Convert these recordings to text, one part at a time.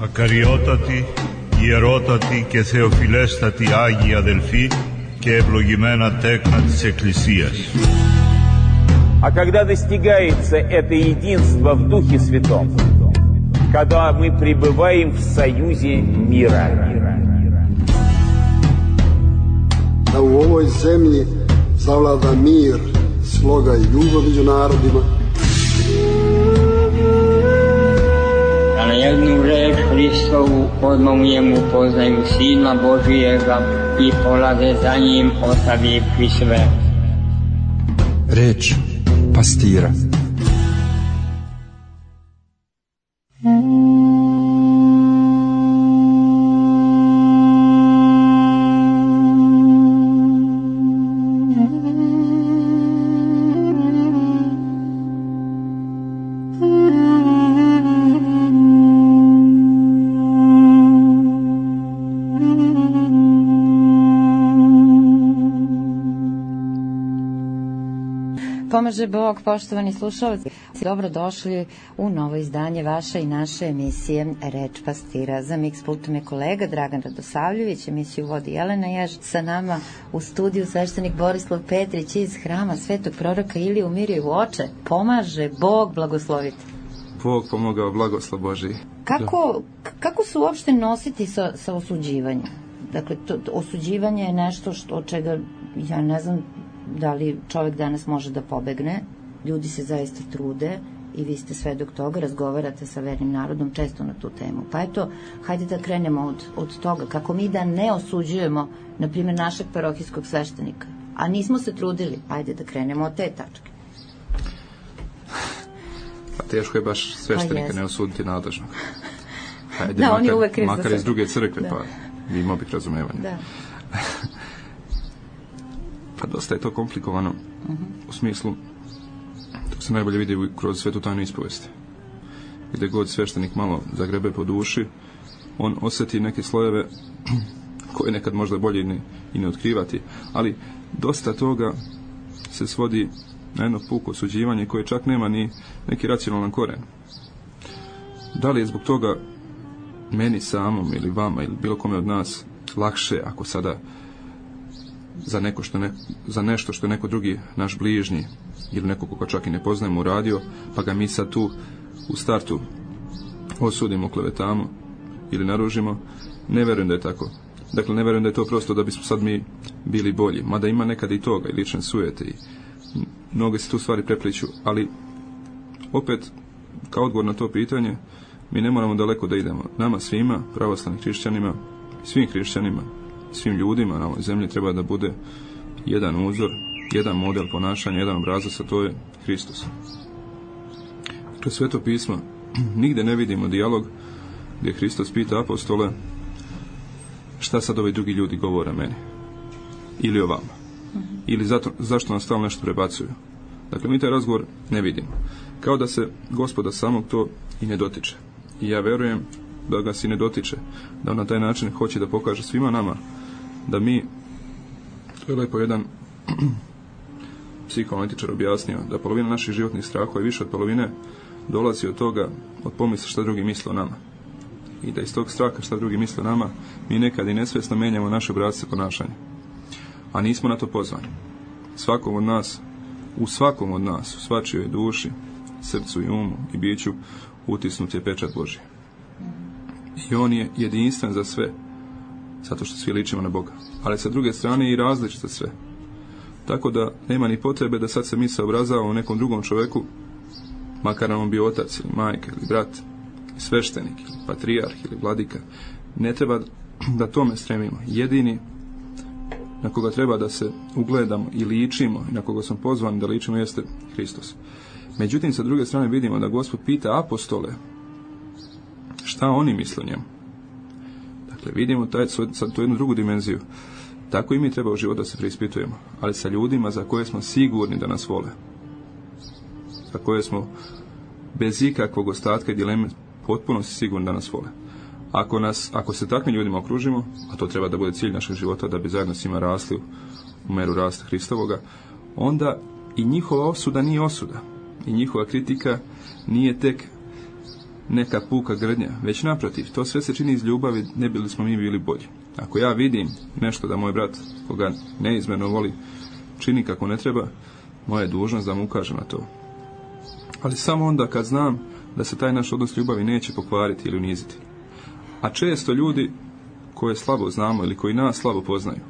Ακαριότατοι, ιερότατοι και θεοφιλέστατοι Άγιοι αδελφοί και ευλογημένα τέκνα της Εκκλησίας. А когда достигается это единство в Духе Святом, когда мы пребываем в союзе мира. Da u ovoj zemlji zavlada mir, sloga i ljubav među narodima. Da na jednu reč Hristovu odmah u njemu poznaju Sina Božijega i polaze za njim ostavivši sve. Reč pastira. Pomaže Bog, poštovani slušalci, dobrodošli u novo izdanje vaše i naše emisije Reč pastira. Za miks pultom je kolega Dragan Radosavljević, emisiju vodi Jelena Jež, sa nama u studiju sveštenik Borislav Petrić iz hrama Svetog proroka Ilije u Mirjevu oče. Pomaže Bog, blagoslovite. Bog pomogao, blagoslov Božiji. Kako se uopšte nositi sa osuđivanjem? Dakle, osuđivanje je nešto od čega, ja ne znam, da li čovjek danas može da pobegne. Ljudi se zaista trude i vi ste svedok toga, razgovarate sa vernim narodom često na tu temu. Pa eto, hajde da krenemo od toga, kako mi da ne osuđujemo, na primjer, našeg parohijskog sveštenika, a nismo se trudili. Hajde da krenemo od te tačke. Pa teško je baš sveštenika ne osuditi nadležnog. Hajde, da, on je uvek kriv za makar iz druge crkve, da. Pa imao bih razumevanje. Da. Pa dosta je to komplikovano, u smislu, to se najbolje vidi kroz svetu tajnu ispovesti. Gde god sveštenik malo zagrebe po duši, on osjeti neke slojeve koje nekad možda bolje i ne otkrivati, ali dosta toga se svodi na jedno puko osuđivanje koje čak nema ni neki racionalan koren. Da li je zbog toga meni samom ili vama ili bilo kome od nas lakše ako sada za nešto što je neko drugi naš bližnji ili neko koga čak i ne poznajemo uradio, pa ga mi sad tu u startu osudimo, klevetamo ili naružimo? Ne verujem da je tako. Dakle, ne verujem da je to prosto da bismo sad mi bili bolji, mada ima nekada i toga, i lične sujete i mnoge se tu stvari prepliću, ali opet kao odgovor na to pitanje mi ne moramo daleko da idemo. Nama svima, pravoslavnim hrišćanima, svim hrišćanima, svim ljudima na ovoj zemlji treba da bude jedan uzor, jedan model ponašanja, jedan obrazac, a to je Hristos. Kroz Sveto pismo nigde ne vidimo dijalog gdje Hristos pita apostole šta sad ovi drugi ljudi govore meni ili o vama ili zašto nas stalno nešto prebacuju. Dakle, mi taj razgovor ne vidimo. Kao da se Gospoda samog to i ne dotiče. I ja verujem da ga se ne dotiče, da on na taj način hoće da pokaže svima nama da mi, to je lepo jedan psihoanalitičar objasnio, da polovina naših životnih strahova i više od polovine dolazi od toga, od pomisla šta drugi misle o nama. I da iz tog straha šta drugi misle o nama, mi nekad i nesvjesno menjamo naše obrasce ponašanja. A nismo na to pozvani. Svakom od nas, u svačijoj duši, srcu i umu i biću utisnut je pečat Božji. I on je jedinstven za sve, zato što svi ličimo na Boga. Ali sa druge strane i različit za sve. Tako da nema ni potrebe da sad se mi saobrazavamo u nekom drugom čoveku, makar nam on bio otac ili majka ili brat, sveštenik ili patrijarh ili vladika. Ne treba da tome stremimo. Jedini na koga treba da se ugledamo i ličimo i na koga smo pozvani da ličimo jeste Hristos. Međutim, sa druge strane vidimo da Gospod pita apostole šta oni misle o njemu. Dakle, vidimo sad tu jednu drugu dimenziju. Tako i mi treba u život da se preispitujemo, ali sa ljudima za koje smo sigurni da nas vole. Za koje smo bez ikakvog ostatka i dileme potpuno sigurni da nas vole. Ako se takvim ljudima okružimo, a to treba da bude cilj našeg života, da bi zajedno s njima rasli u meru rasta Hristovoga, onda i njihova osuda nije osuda. I njihova kritika nije tek neka puka grdnja, već naprotiv, to sve se čini iz ljubavi, ne bili smo mi bili bolji. Ako ja vidim nešto da moj brat, koga neizmjerno voli, čini kako ne treba, moja je dužnost da mu ukažem na to. Ali samo onda kad znam da se taj naš odnos ljubavi neće pokvariti ili uniziti. A često ljudi koje slabo znamo ili koji nas slabo poznaju,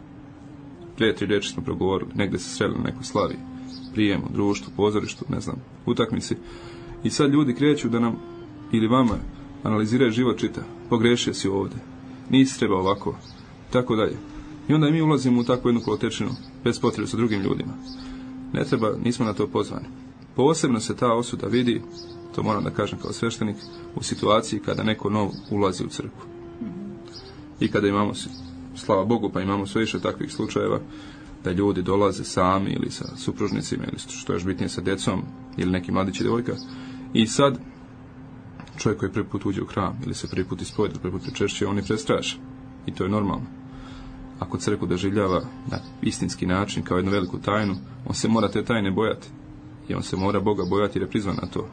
2-3 riječi smo progovorili, negdje se sreli na nekoj slavi, prijemu, društvu, pozorištu, ne znam, utakmici, i sad ljudi kreću da nam ili vama analiziraju život, čita, pogrešio si ovdje, nisi treba ovako, tako dalje. I onda mi ulazimo u takvu jednu kolotečinu bez potrebe sa drugim ljudima. Ne treba, nismo na to pozvani. Posebno se ta osuda vidi, to moram da kažem kao sveštenik, u situaciji kada neko nov ulazi u crkvu. I kada imamo, slava Bogu, pa imamo sve više takvih slučajeva da ljudi dolaze sami ili sa supružnicima ili što je još bitnije sa djecom ili neki mladić i djevojka, i sad čovjek koji prvi put uđe u hram ili se prvi put ispovjeda, prvi put pričešće, on je prestrašen. I to je normalno. Ako crkvu doživljava na istinski način kao jednu veliku tajnu, on se mora te tajne bojati. I on se mora Boga bojati jer je prizvan na to.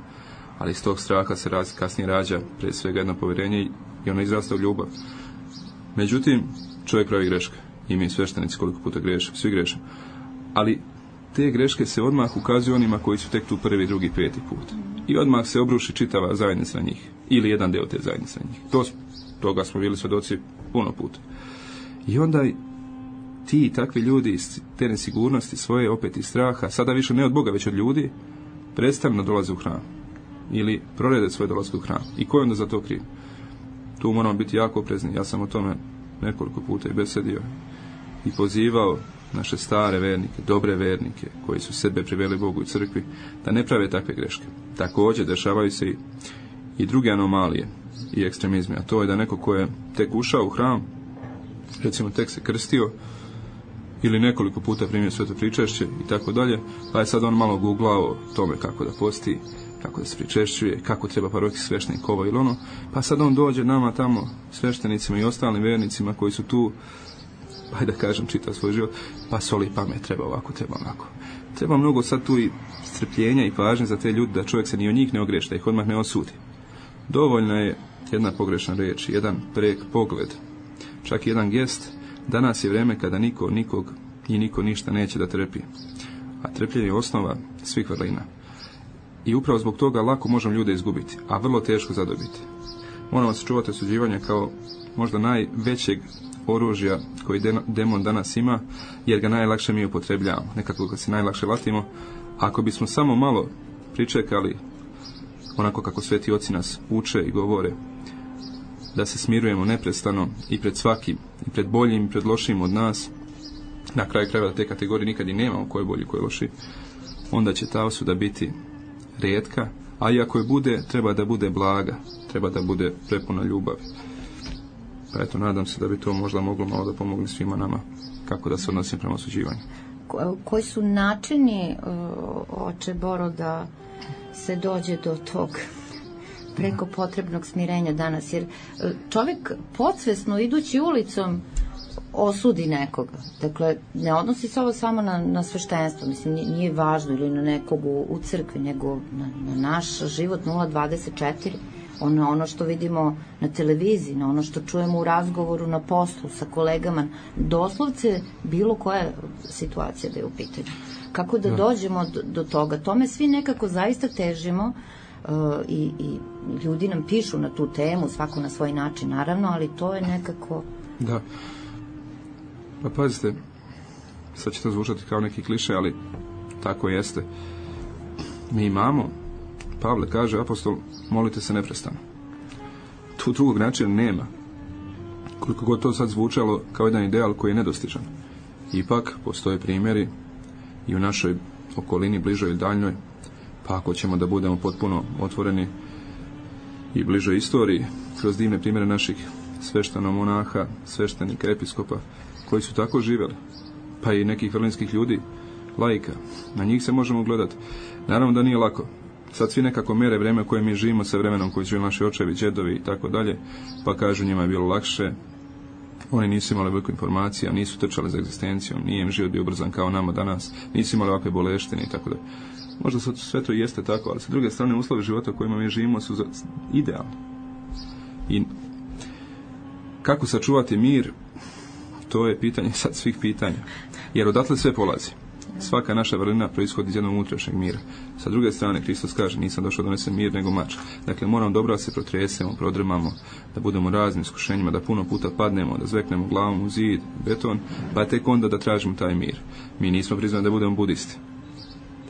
Ali iz tog straha se kasnije rađa prije svega jedno povjerenje i ono izrasta u ljubav. Međutim, čovjek pravi greške. I mi sveštenici koliko puta grešimo, svi grešimo. Ali te greške se odmah ukazuju onima koji su tek tu prvi, drugi, peti put. I odmah se obruši čitava zajednica na njih. Ili jedan deo te zajednice na njih. Toga smo bili svjedoci puno puta. I onda ti i takvi ljudi iz te nesigurnosti svoje, opet iz straha, sada više ne od Boga, već od ljudi, predstavljeno dolaze u hram. Ili prorede svoje dolazke u hram. I ko je onda za to kriv? Tu moramo biti jako oprezni. Ja sam o tome nekoliko puta i besedio i pozivao naše stare vernike, dobre vernike, koji su sebe priveli Bogu i crkvi, da ne prave takve greške. Također dešavaju se i druge anomalije i ekstremizmi, a to je da neko ko je tek ušao u hram, recimo tek se krstio, ili nekoliko puta primio sveto pričešće i tako dalje, pa je sad on malo googlao tome kako da posti, kako da se pričešćuje, kako treba parohijski sveštenik ovo ili ono, pa sad on dođe nama tamo, sveštenicima i ostalim vernicima koji su tu, pa da kažem, čita svoj život, pa soli pamet, treba ovako, treba onako. Treba mnogo sad tu i strpljenja i pažnje za te ljude, da čovjek se ni o njih ne ogreši, da ih odmah ne osudi. Dovoljna je jedna pogrešna riječ, jedan prek pogled, čak i jedan gest. Danas je vrijeme kada niko nikog i niko ništa neće da trpi. A trpljenje je osnova svih vrlina. I upravo zbog toga lako možemo ljude izgubiti, a vrlo teško zadobiti. Moramo se čuvati osuđivanja kao možda najvećeg oružja koji demon danas ima, jer ga najlakše mi upotrebljavamo. Nekako ga se najlakše latimo. Ako bismo samo malo pričekali, onako kako sveti oci nas uče i govore, da se smirujemo neprestano i pred svakim, i pred boljim, i pred lošim od nas, na kraju krajeva te kategorije nikad i nemamo ko je bolji, ko je loši, onda će ta osuda biti rijetka, a i ako je bude, treba da bude blaga, treba da bude prepuna ljubavi. Pa eto, nadam se da bi to možda moglo malo da pomogne svima nama kako da se odnosim prema osuđivanju. Koji su načini, oče Boro, da se dođe do tog preko potrebnog smirenja danas? Jer čovjek podsvesno idući ulicom osudi nekoga. Dakle, ne odnosi se ovo samo na sveštenstvo, mislim, nije važno, ili na nekog u crkvi, nego na naš život 024, ono što vidimo na televiziji, na ono što čujemo u razgovoru na poslu sa kolegama, doslovce bilo koja situacija da je u pitanju. Kako da dođemo do toga? Tome svi nekako zaista težimo, i ljudi nam pišu na tu temu, svako na svoj način, naravno, ali to je nekako... Da. Pa pazite, sad će to zvučati kao neki kliše, ali tako jeste. Mi imamo, Pavle kaže, apostol, molite se neprestano. Tu drugog načina nema. Koliko god to sad zvučalo kao jedan ideal koji je nedostižan. Ipak postoje primjeri i u našoj okolini, bližoj i daljnjoj, pa ako ćemo da budemo potpuno otvoreni i bližoj istoriji, kroz divne primjere naših sveštenomonaha, sveštenika, episkopa, koji su tako živjeli, pa i nekih vrlinskih ljudi, laika, na njih se možemo gledati. Naravno da nije lako. Sad svi nekako mere vreme koje mi živimo sa vremenom koji su naši očevi, djedovi i tako dalje, pa kažu njima je bilo lakše, oni nisu imali veliko informacija, nisu trčali za egzistencijom, nije im život bio ubrzan kao nama danas, nisu imali ovakve boleštine i tako dalje. Možda sve to jeste tako, ali sa druge strane uslovi života u kojima mi živimo su idealni. I kako sačuvati mir, to je pitanje sad svih pitanja. Jer odatle sve polazi. Svaka naša vrlina proizhodi iz jednog unutrašnjeg mira. Sa druge strane, Hristos kaže, nisam došao da donesem mir nego mač. Dakle, moramo dobro da se protresemo, prodrmamo, da budemo raznim iskušenjima, da puno puta padnemo, da zveknemo glavom u zid, beton, pa tek onda da tražimo taj mir. Mi nismo prizvani da budemo budisti.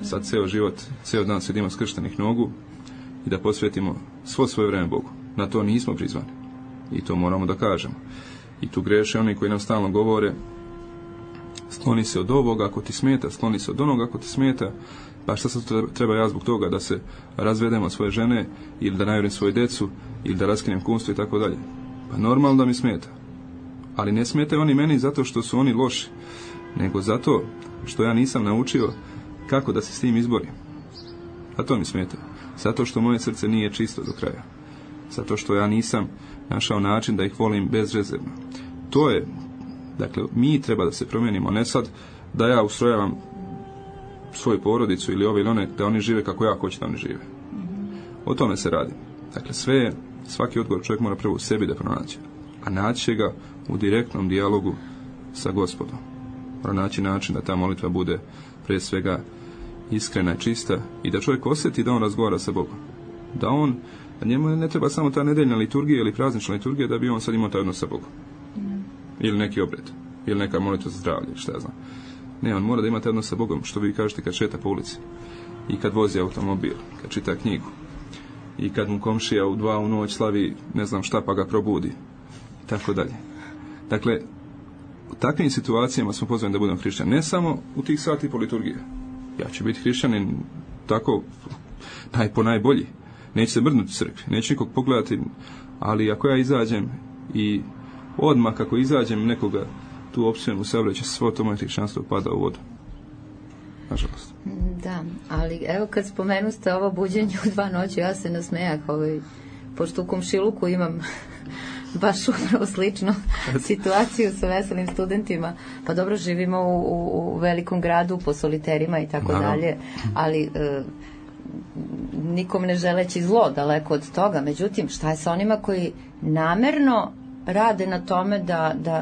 Sad ceo život, ceo dan sedimo skrštenih nogu i da posvetimo svo svoje vreme Bogu. Na to nismo prizvani. I to moramo da kažemo. I tu greše oni koji nam stalno govore, skloni se od ovoga ako ti smeta, skloni se od onoga ako ti smeta, pa šta sad treba ja zbog toga da se razvedemo svoje žene, ili da najurim svoju decu, ili da raskinem kumstvo i tako dalje. Pa normalno da mi smeta. Ali ne smetaju oni meni zato što su oni loši, nego zato što ja nisam naučio kako da se s tim izborim. A to mi smeta. Zato što moje srce nije čisto do kraja. Zato što ja nisam našao način da ih volim bezrezervno. To je, dakle, mi treba da se promijenimo, ne sad da ja ustrojavam svoju porodicu ili ove ili one, da oni žive kako ja hoću da oni žive. O tome se radi. Dakle, svaki odgovor čovjek mora prvo u sebi da pronaći. A naći će ga u direktnom dijalogu sa Gospodom. Mora naći način da ta molitva bude prije svega iskrena i čista i da čovjek osjeti da on razgovara sa Bogom. Da njemu ne treba samo ta nedeljna liturgija ili praznična liturgija da bi on sad imao taj odnos sa Bogom. Ili neki obred, ili neka molitva za zdravlje, šta ja znam. Ne, on mora da ima taj odnos sa Bogom, što vi kažete kad šeta po ulici. I kad vozi automobil, kad čita knjigu. I kad mu komšija u 2 u noć slavi ne znam šta pa ga probudi. I tako dalje. Dakle, u takvim situacijama smo pozvani da budemo hrišćani. Ne samo u tih sati po liturgije. Ja ću biti hrišćanin tako po najbolji. Neću se mrdnuti u crkvi, neću nikog pogledati, ali ako ja izađem i odmah kako izađem nekoga tu opsujemo u saobraćaju, svo to moje hrišćanstvo pada u vodu. Nažalost. Da, ali evo kad spomenuste ovo buđenje u 2 noći, ja se nasmejah, pošto u komšiluku imam baš upravo sličnu situaciju sa veselim studentima. Pa dobro, živimo u velikom gradu, po soliterima i tako dalje, ali nikom ne želeći zlo, daleko od toga. Međutim, šta je sa onima koji namerno rade na tome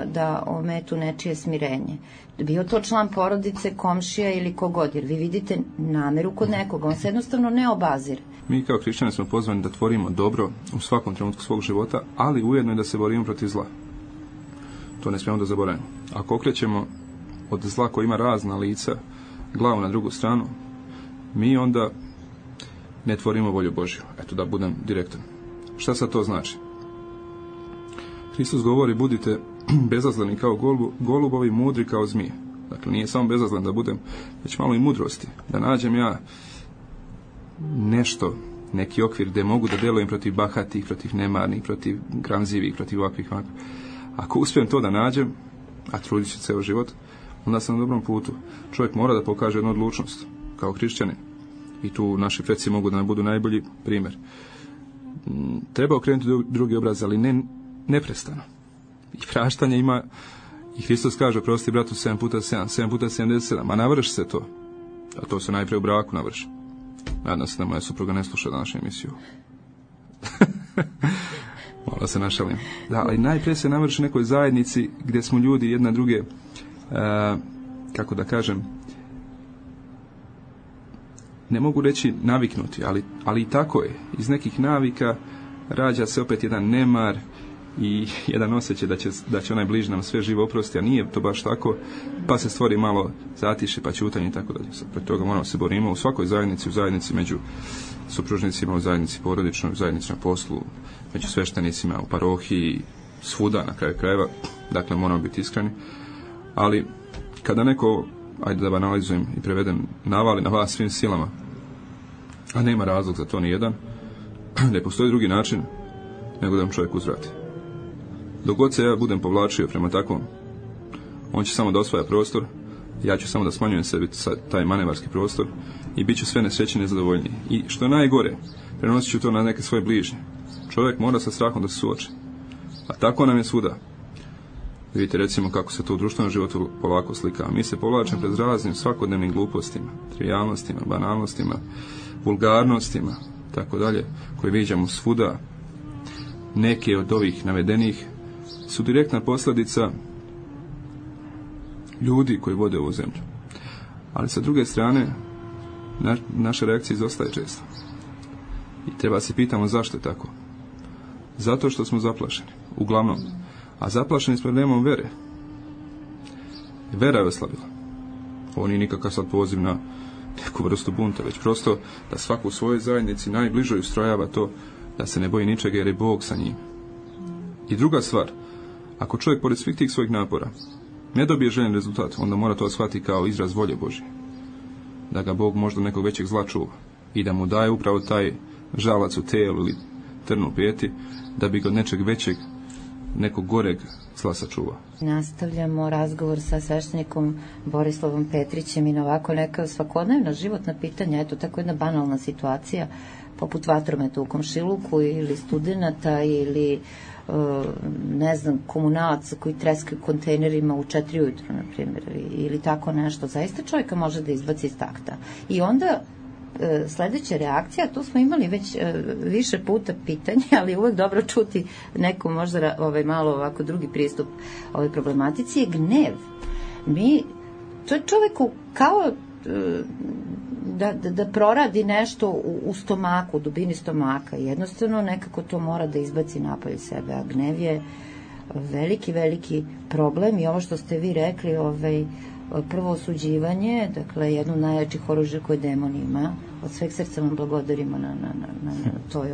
da ometu nečije smirenje? Bio to član porodice, komšija ili kogod, jer vi vidite nameru kod nekoga, on se jednostavno ne obazire. Mi kao hrišćani smo pozvani da tvorimo dobro u svakom trenutku svog života, ali ujedno i da se borimo protiv zla. To ne smijemo da zaboravimo. Ako okrećemo od zla koji ima razna lica glavu na drugu stranu, mi onda ne tvorimo volju Božju. Eto, da budem direktan. Šta sad to znači? Hristos govori, budite bezazleni kao golubovi, mudri kao zmije. Dakle, nije samo bezazlen da budem, već malo i mudrosti. Da nađem ja nešto, neki okvir gde mogu da delujem protiv bahatih, protiv nemarnih, protiv gramzivih, protiv ovakvih. Ako uspijem to da nađem, a trudit ću ceo život, onda sam na dobrom putu. Čovjek mora da pokaže jednu odlučnost, kao hrišćanin. I tu naši preci mogu da nam budu najbolji primjer. Treba okrenuti drugi obraz, ali ne neprestano. I praštanje ima, i Hristos kaže, prosti bratu 7 puta 7, 7 puta 77, a navrši se to. A to se najprije u braku navrši. Nadam se da moja supruga ne sluša današnju emisiju. Malo se našalim. Da, ali najprije se navrši nekoj zajednici gdje smo ljudi jedna druge, kako da kažem, ne mogu reći naviknuti, ali i tako je. Iz nekih navika rađa se opet jedan nemar i jedan osjećaj da će onaj bliži nam sve živo oprosti, a nije to baš tako, pa se stvori malo zatiše, pa ćutanje i tako dalje. Protiv toga moramo se borimo u svakoj zajednici, u zajednici među supružnicima, u zajednici porodičnoj, u zajednici na poslu, među sveštenicima, u parohiji, svuda na kraju krajeva. Dakle, moramo biti iskreni. Ali kada neko, ajde da banalizujem i prevedem, navali na vas svim silama, a nema razlog za to ni jedan, ne postoji drugi način nego da vam čovjek uzvrati. Dok god se ja budem povlačio prema takvom, on će samo da osvaja prostor, ja ću samo da smanjujem sebi taj manevarski prostor i bit ću sve nesrećniji i nezadovoljniji. I što je najgore, prenosit ću to na neke svoje bližnje. Čovjek mora sa strahom da se suoči. A tako nam je svuda. Vidite recimo kako se to u društvenom životu polako slika. Mi se povlačimo pred raznim svakodnevnim glupostima, trivijalnostima, banalnostima, vulgarnostima, tako dalje, koje viđamo svuda. Neke od ovih navedenih su direktna posljedica ljudi koji vode ovu zemlju. Ali sa druge strane, naša reakcija izostaje često. I treba se pitamo zašto je tako. Zato što smo zaplašeni, uglavnom. A zaplašeni s problemom vere. Vera je oslabila. Ovo nije nikakav sad poziv na neku vrstu bunta, već prosto da svako u svojoj zajednici najbližoj ustrojava to da se ne boji ničega jer je Bog sa njim. I druga stvar, ako čovjek pored svih tih svojih napora ne dobije željen rezultat, onda mora to shvatiti kao izraz volje Božje. Da ga Bog možda nekog većeg zla čuva i da mu daje upravo taj žalac u tijelu ili trnu u peti, da bi ga od nečeg većeg, nekog goreg zla sačuva. Nastavljamo razgovor sa sveštenikom Borislavom Petrićem i na ovako neka svakodnevna životna pitanja, eto tako jedna banalna situacija, poput vatrometa u komšiluku ili studenata ili ne znam, komunalaca koji treskaju kontejnerima u 4 ujutro, na primjer, ili tako nešto, zaista čovjeka može da izbaci iz takta. I onda sledeća reakcija, tu smo imali već više puta pitanje, ali uvek dobro čuti neko možda malo ovako drugi pristup ovoj problematici, je gnev. To je čoveku kao da proradi nešto u stomaku, u dubini stomaka. Jednostavno nekako to mora da izbaci napolje sebe, a gnev je veliki problem i ovo što ste vi rekli, prvo osuđivanje, dakle jedno od najjačih oružja koje demon ima, od sveg srca vam blagodarimo na toj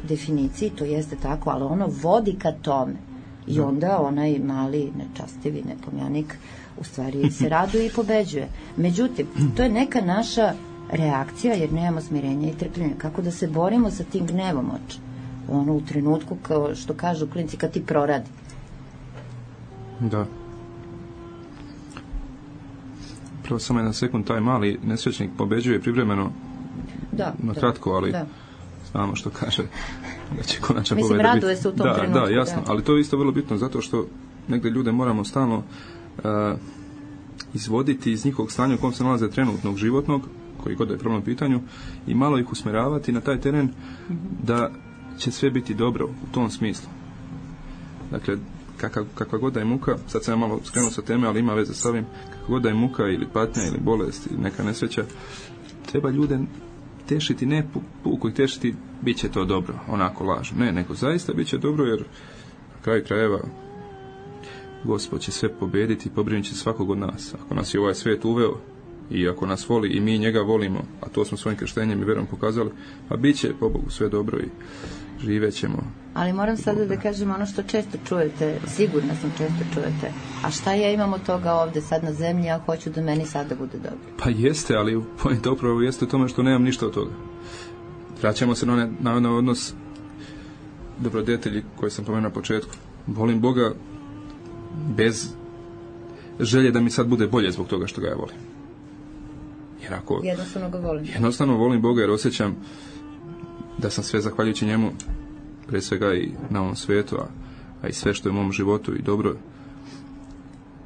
definiciji, to jeste tako, ali ono vodi ka tome i onda onaj mali nečastivi nepomjanik u stvari se raduje i pobeđuje. Međutim, to je neka naša reakcija jer nemamo smirenja i trpljenja. Kako da se borimo sa tim gnevom u trenutku, kao što kažu klinci, kad ti proradi. Da. Prvo samo jedan sekund, taj mali nesrećnik pobeđuje privremeno na kratko, ali znamo što kaže da će konačna pobeda biti. Mislim, raduje se u tom trenutku. Da, jasno, ali to je isto vrlo bitno zato što negde ljude moramo stalno izvoditi iz njihovog stanja u kom se nalaze trenutnog životnog, koji god je problem u pitanju, i malo ih usmeravati na taj teren da će sve biti dobro u tom smislu. Dakle, kakva god da je muka, sad sam malo skrenuo sa teme, ali ima veze s ovim, kakva god da je muka ili patnja ili bolest ili neka nesreća, treba ljude tešiti, ne puku ih tešiti, bit će to dobro, onako lažno. Ne, nego zaista bit će dobro, jer na kraju krajeva Gospod će sve pobediti i pobrinut će svakog od nas. Ako nas je ovaj svijet uveo i ako nas voli i mi njega volimo, a to smo svojim krštenjem i verom pokazali, pa bit će po Bogu sve dobro i živet ćemo. Ali moram sada da kažem ono što često čujete, sigurno sam često čujete, a šta ja imam od toga ovde sad na zemlji, ja hoću da meni sada bude dobro. Pa jeste, ali pojenta upravo jeste u tome što nemam ništa od toga. Vraćamo se na odnos dobrodetelji koji sam pomenuo na početku. Volim Boga bez želje da mi sad bude bolje zbog toga što ga ja volim. Jer ako jednostavno ga volim. Jednostavno volim Boga jer osjećam da sam sve zahvaljujući njemu, pre svega i na ovom svijetu, a i sve što je u mom životu i dobro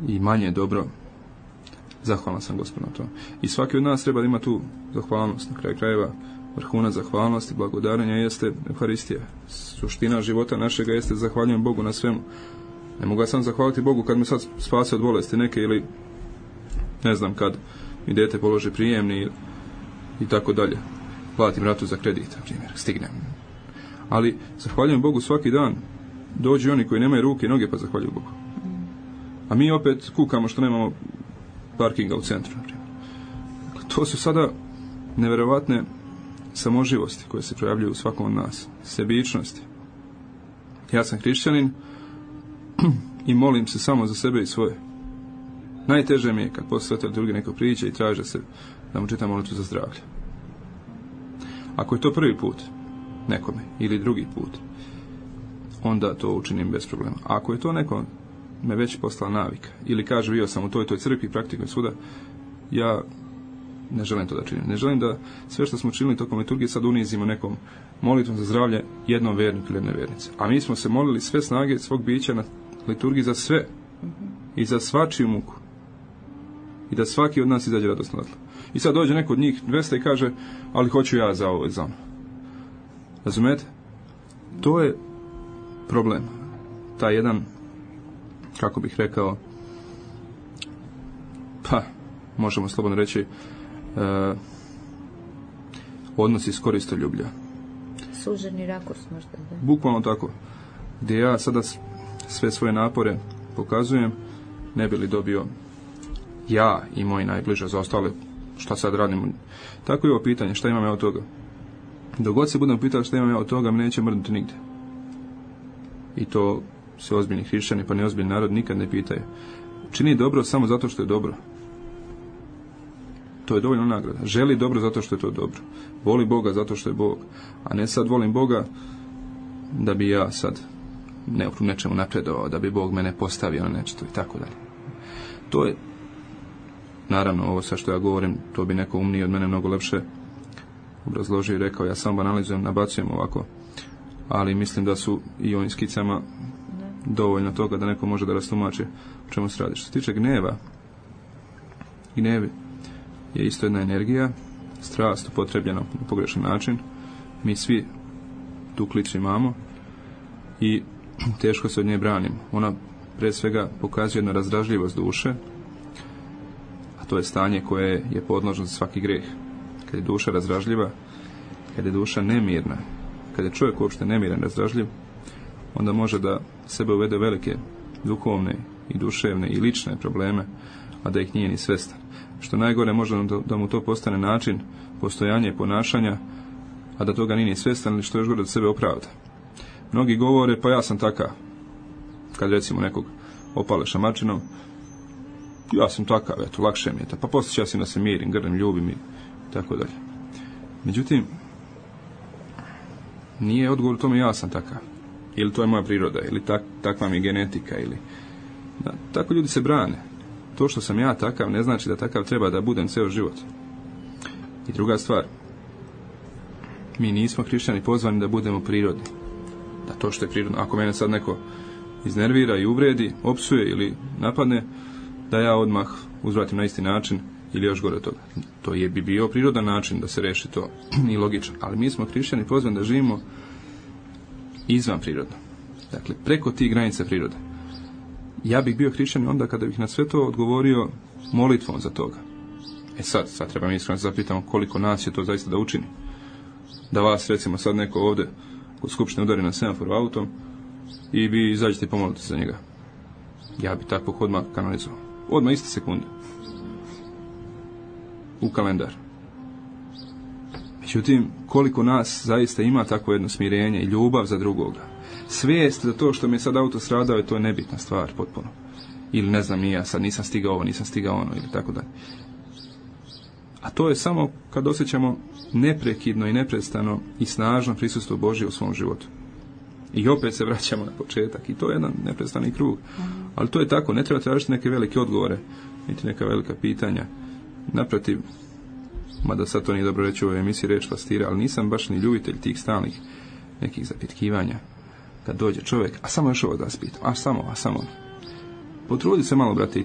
i manje dobro, zahvalan sam Gospodu na to. I svaki od nas treba da ima tu zahvalnost. Na kraju krajeva vrhunac zahvalnosti, blagodarenja jeste Euharistija. Suština života našega jeste zahvaljujem Bogu na svemu. Ne mogu ja sam zahvaliti Bogu kad me sad spase od bolesti neke ili ne znam kad mi dete položi prijemni i tako dalje. Platim ratu za kredit, na primjer, stignem. Ali zahvaljujem Bogu svaki dan. Dođu oni koji nemaju ruke i noge pa zahvaljuju Bogu. A mi opet kukamo što nemamo parkinga u centru, na primjer. Dakle, to su sada neverovatne samoživosti koje se projavljuju u svakom od nas. Sebičnosti. Ja sam hrišćanin i molim se samo za sebe i svoje. Najteže mi je kad posle svete liturgije neko priđe i traže se da mu čitam molitvu za zdravlje. Ako je to prvi put nekome ili drugi put, onda to učinim bez problema. A ako je to neko me već postala navika ili kaže bio sam u toj crkvi, praktikujem svuda, ja ne želim to da činim. Ne želim da sve što smo činili tokom liturgije sad unizimo nekom molitvom za zdravlje jednom verniku ili jedne vernice. A mi smo se molili sve snage svog bića na liturgiji za sve i za svačiju muku. I da svaki od nas izađe radosno odatle. I sad dođe neko od njih 200 i kaže, ali hoću ja za ovo i za ono. Razumete? To je problem. Taj jedan, kako bih rekao, pa, možemo slobodno reći, odnos iz koristoljublja. Suženi rakurs možda, da? Bukvalno tako. Gdje ja sada sve svoje napore pokazujem, ne bi li dobio ja i moji najbliže za ostale, šta sad radim. Tako je ovo pitanje, šta imam ja od toga? Dok god se budem pitali šta imam ja od toga, me neće mrdnuti nigdje. I to se ozbiljni hrišćani, pa neozbiljni narod nikad ne pitaju. Čini dobro samo zato što je dobro. To je dovoljno nagrada. Želi dobro zato što je to dobro. Voli Boga zato što je Bog. A ne sad volim Boga da bi ja sad u nečemu napredovao, da bi Bog mene postavio na nešto i tako dalje. To je, naravno, ovo sa što ja govorim, to bi neko umniji od mene mnogo lepše obrazložio i rekao, ja sam banalizujem, nabacujem ovako, ali mislim da su i ovim skicama dovoljno toga da neko može da rastumači o čemu se radi. Što se tiče gneva, gnev je isto jedna energija, strast upotrebljena na pogrešan način. Mi svi tu klicu imamo i teško se od nje branimo. Ona pre svega pokazuje jednu razdražljivost duše, a to je stanje koje je podložno za svaki greh. Kad je duša razdražljiva, kad je duša nemirna, kad je čovjek uopšte nemiran, razdražljiv, onda može da sebe uvede velike duhovne i duševne i lične probleme, a da ih nije ni svestan. Što najgore, može da mu to postane način postojanja i ponašanja, a da toga nije ni svestan, ili što još gore da sebe opravda. Mnogi govore, pa ja sam takav. Kad recimo nekog opale šamačinom, ja sam takav, eto, lakše mi je to, pa poslije ću ja si da se mirim, grlim, ljubim i tako dalje. Međutim, nije odgovor u tome ja sam takav, ili to je moja priroda, ili takva mi je genetika, ili... Da, tako ljudi se brane. To što sam ja takav ne znači da takav treba da budem ceo život. I druga stvar, mi nismo hrišćani pozvani da budemo prirodni. Da to što je prirodno, ako mene sad neko iznervira i uvredi, opsuje ili napadne, da ja odmah uzvratim na isti način ili još gore od toga. To bi bio prirodan način da se reši to i logično. Ali mi smo hrišćani pozvani da živimo izvan prirodno. Dakle, preko tih granica prirode. Ja bih bio hrišćanin onda kada bih na sve to odgovorio molitvom za toga. Sad treba mi iskreno zapitamo koliko nas je to zaista da učini. Da vas, recimo, sad neko ovdje kod skupštine udari na semafor autom i vi izađete i pomolite za njega. Ja bi takvog odmah kanalizovao. Odmah iste sekunde. U kalendar. Međutim, koliko nas zaista ima takvo jedno smirenje i ljubav za drugoga. Svijest da to što mi je sad auto stradao, to je nebitna stvar potpuno. Ili ne znam, ja sad nisam stigao ovo, nisam stigao ono, ili tako dalje. A to je samo kad osjećamo neprekidno i neprestano i snažno prisustvo Božje u svom životu. I opet se vraćamo na početak. I to je jedan neprestani krug. Ali to je tako, ne treba tražiti neke velike odgovore, niti neka velika pitanja. Naprotiv, mada sad to nije dobro reći u ovoj emisiji reč pastira, ali nisam baš ni ljubitelj tih stalnih nekih zapitkivanja. Kad dođe čovjek, a samo još ovo da vas pitam, a samo. Potrudi se malo, brate, i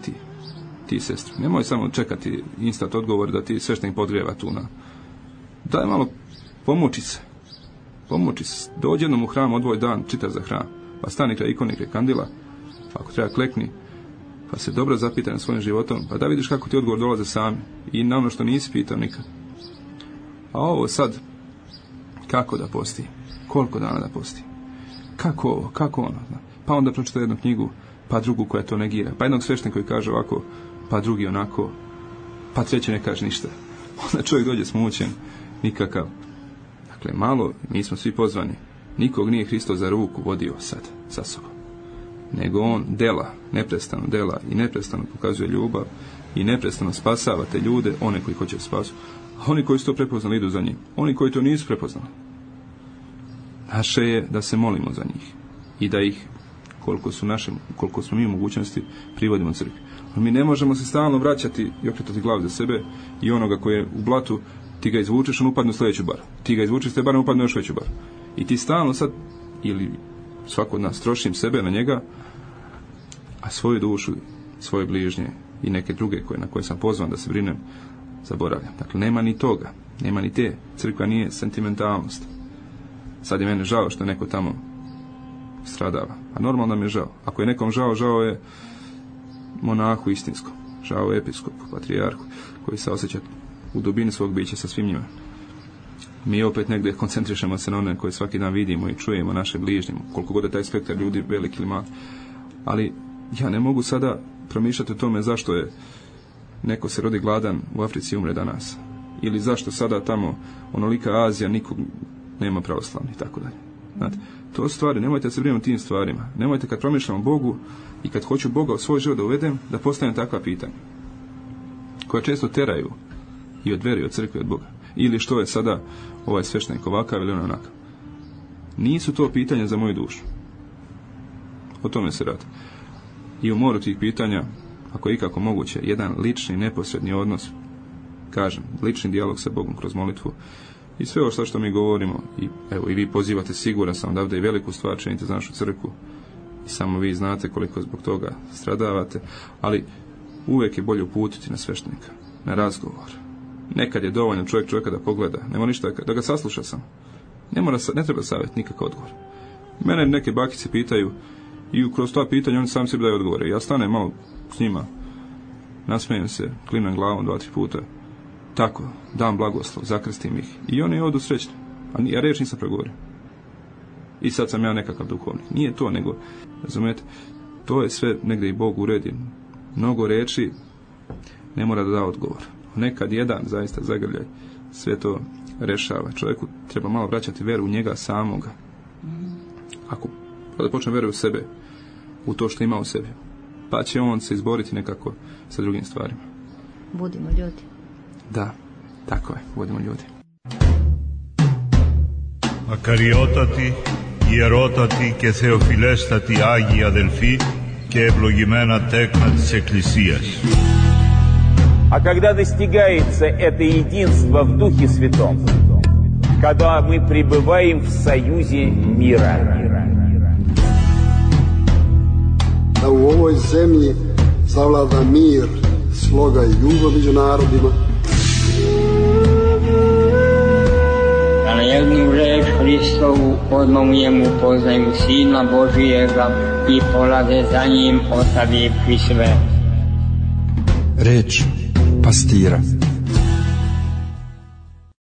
ti sestri. Nemoj samo čekati instant odgovor da ti sveštenik podgrijeva tu na... Daj malo, pomoći se. Dođi jednom u hram, odvoj dan, čita za hram. Pa stani kraj ikone, kraj kandila. Ako treba, klekni. Pa se dobro zapitaj na svojim životom. Pa da vidiš kako ti odgovor dolaze sami. I na ono što nisi pitao nikad. A ovo sad, kako da posti? Koliko dana da posti? Kako ono? Pa onda pročita jednu knjigu, pa drugu koja to negira. Pa jednog sveštenika koji kaže ovako, pa drugi onako, pa treći ne kaže ništa. Onda čovjek dođe smućen, nikakav. Dakle, malo, mi smo svi pozvani. Nikog nije Hristos za ruku vodio sad, sa sobom. Nego on neprestano dela i neprestano pokazuje ljubav i neprestano spasava te ljude, one koji hoće spasu. A oni koji su to prepoznali idu za njim. Oni koji to nisu prepoznali. Naše je da se molimo za njih i da ih, koliko smo mi u mogućnosti, privodimo crkvi. Ali mi ne možemo se stalno vraćati i okretati glavu za sebe i onoga koji je u blatu, ti ga izvučeš, on upadne u sljedeću baru. Ti ga izvučeš, te bar upadne u još veću baru. I ti stalno sad, ili svako od nas, trošim sebe na njega, a svoju dušu, svoje bližnje i neke druge na koje sam pozvan da se brinem, zaboravljam. Dakle, nema ni toga, nema ni te. Crkva nije sentimentalnost. Sad je mene žao što neko tamo stradava. A normalno mi je žao. Ako je nekom žao, žao je monahu istinskom. Žao je episkopu, patrijarhu, koji se osjeća u dubini svog bića sa svim njima. Mi opet negdje koncentrišemo se na one koje svaki dan vidimo i čujemo, naše bližnje, koliko god je taj spektar ljudi veliki ili mali. Ali ja ne mogu sada promišljati o tome zašto je neko se rodi gladan u Africi i umre danas. Ili zašto sada tamo onolika Azija nikog nema pravoslavni i tako dalje. Znate, to stvari, nemojte se brinuti tim stvarima. Nemojte kad promišljam o Bogu i kad hoću Boga u svoj život da uvedem, da postavim takva pitanja koja često teraju i od vere i od crkve od Boga. Ili što je sada ovaj sveštenik ovakav ili onakav. Nisu to pitanja za moju dušu. O tome se radi. I u moru tih pitanja, ako je ikako moguće, jedan lični, neposredni odnos, kažem, lični dijalog sa Bogom kroz molitvu i sve ovo što mi govorimo, i evo i vi pozivate, siguran sam da ovdje i veliku stvar činite za našu crkvu i samo vi znate koliko zbog toga stradavate, ali uvijek je bolje uputiti na sveštenika, na razgovor. Nekad je dovoljno čovjeka da pogleda, nema ništa, da ga sasluša sam. Ne treba savjet, nikakav odgovor. Mene neke bakice pitaju i kroz ta pitanja oni sami sebi daju odgovore. Ja stanem malo s njima, nasmijem se, klimnem glavom 2-3 puta, tako, dam blagoslov, zakrstim ih i oni odu srećni. A ja reč nisam progovorio. I sad sam ja nekakav duhovnik. Nije to, nego, razumijete, to je sve negdje i Bog uredi. Mnogo reči ne mora da da odgovor. Nekad jedan zaista zagrljaj sve to rešava. Čovjeku treba malo vraćati veru u njega samoga. Ako da počne veru u sebe, u to što ima u sebi, pa će on se izboriti nekako sa drugim stvarima. Budimo ljudi. Da, tako je, budimo ljudi. Ακαριότατη, ιερότατη και θεοφιλέστατη Άγια Αδελφή και ευλογημένα τέκνα της Εκκλησίας. А когда достигается это единство в Духе Святом, когда мы пребываем в союзе мира. Da u ovoj zemlji zavlada mir, sloga i ljubav među narodima. Da na jednu reč Hristovu odmah u njemu poznaju Sina Božijega i polaze za njim ostavivši sve. Reč pastira.